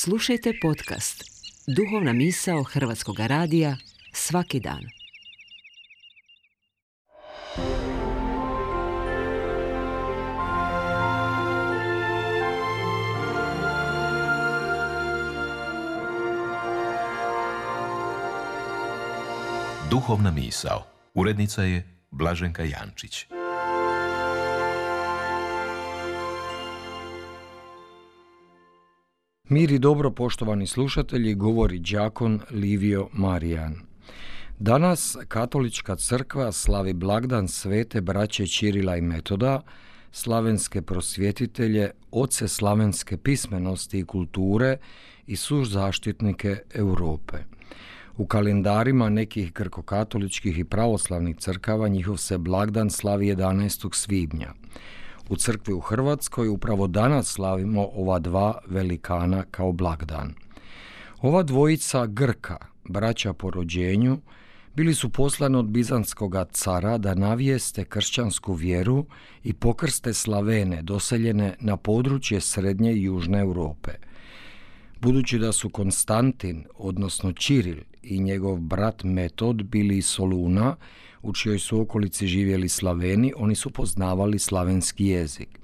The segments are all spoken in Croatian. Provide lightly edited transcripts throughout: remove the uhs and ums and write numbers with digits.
Slušajte podcast Duhovna misao Hrvatskog radija svaki dan. Duhovna misao. Urednica je Blaženka Jančić. Mir i dobro, poštovani slušatelji, govori đakon Livio Marijan. Danas Katolička crkva slavi blagdan svete braće Čirila i Metoda, slavenske prosvjetitelje, oce slavenske pismenosti i kulture i suzaštitnike Europe. U kalendarima nekih grkokatoličkih i pravoslavnih crkava njihov se blagdan slavi 11. svibnja. U crkvi u Hrvatskoj upravo danas slavimo ova dva velikana kao blagdan. Ova dvojica Grka, braća po rođenju, bili su poslani od bizantskog cara da navijeste kršćansku vjeru i pokrste Slavene doseljene na područje srednje i južne Europe. Budući da su Konstantin, odnosno Čiril, i njegov brat Metod bili iz Soluna, u čijoj su okolici živjeli Slaveni, oni su poznavali slavenski jezik.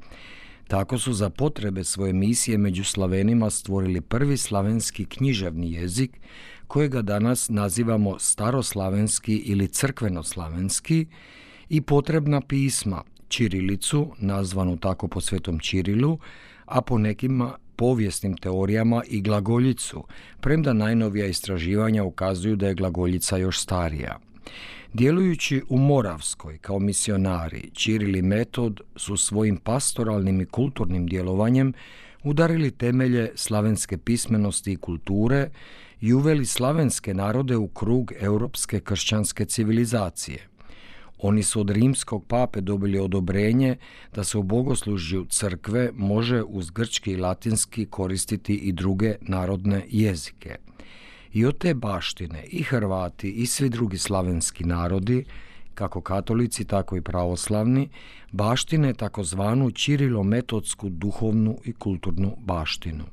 Tako su za potrebe svoje misije među Slavenima stvorili prvi slavenski književni jezik, kojega danas nazivamo staroslavenski ili crkvenoslavenski, i potrebna pisma, ćirilicu, nazvanu tako po svetom Čirilu, a po nekima povijesnim teorijama i glagoljicu, premda najnovija istraživanja ukazuju da je glagoljica još starija. Djelujući u Moravskoj kao misionari, Čiril i Metod su svojim pastoralnim i kulturnim djelovanjem udarili temelje slavenske pismenosti i kulture i uveli slavenske narode u krug europske kršćanske civilizacije. Oni su od rimskog pape dobili odobrenje da se u bogoslužju crkve može uz grčki i latinski koristiti i druge narodne jezike. I od te baštine i Hrvati i svi drugi slavenski narodi, kako katolici, tako i pravoslavni, baštine takozvanu Čirilo-metodsku duhovnu i kulturnu baštinu.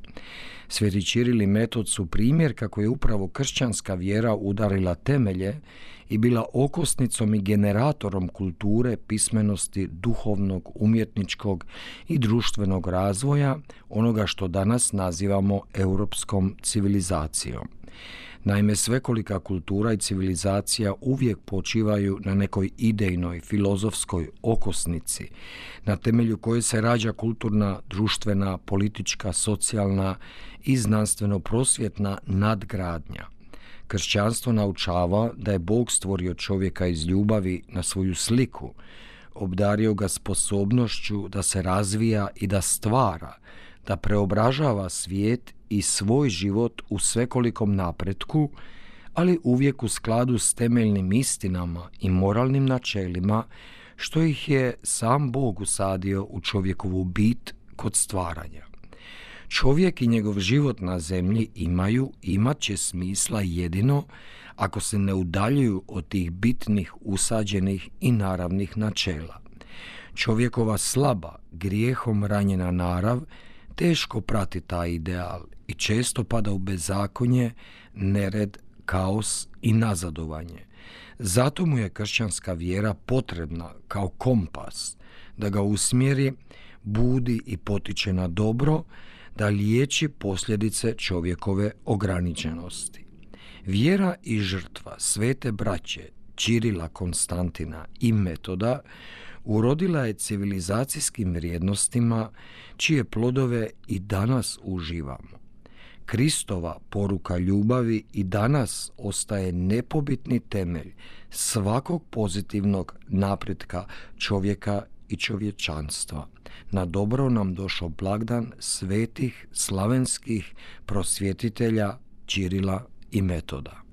Sveti Čiril i Metod su primjer kako je upravo kršćanska vjera udarila temelje i bila okosnicom i generatorom kulture, pismenosti, duhovnog, umjetničkog i društvenog razvoja, onoga što danas nazivamo europskom civilizacijom. Naime, svekolika kultura i civilizacija uvijek počivaju na nekoj idejnoj, filozofskoj okosnici, na temelju koje se rađa kulturna, društvena, politička, socijalna i znanstveno-prosvjetna nadgradnja. Kršćanstvo naučava da je Bog stvorio čovjeka iz ljubavi na svoju sliku, obdario ga sposobnošću da se razvija i da stvara, da preobražava svijet i svoj život u svekolikom napretku, ali uvijek u skladu s temeljnim istinama i moralnim načelima, što ih je sam Bog usadio u čovjekovu bit kod stvaranja. Čovjek i njegov život na zemlji imat će smisla jedino ako se ne udaljuju od tih bitnih, usađenih i naravnih načela. Čovjekova slaba, grijehom ranjena narav teško prati taj ideal i često pada u bezakonje, nered, kaos i nazadovanje. Zato mu je kršćanska vjera potrebna kao kompas, da ga usmjeri, budi i potiče na dobro, da liječi posljedice čovjekove ograničenosti. Vjera i žrtva svete braće Čirila, Konstantina i Metoda urodila je civilizacijskim vrijednostima čije plodove i danas uživamo. Kristova poruka ljubavi i danas ostaje nepobitni temelj svakog pozitivnog napretka čovjeka i čovječanstva. Na dobro nam došao blagdan svetih slavenskih prosvjetitelja Čirila i Metoda.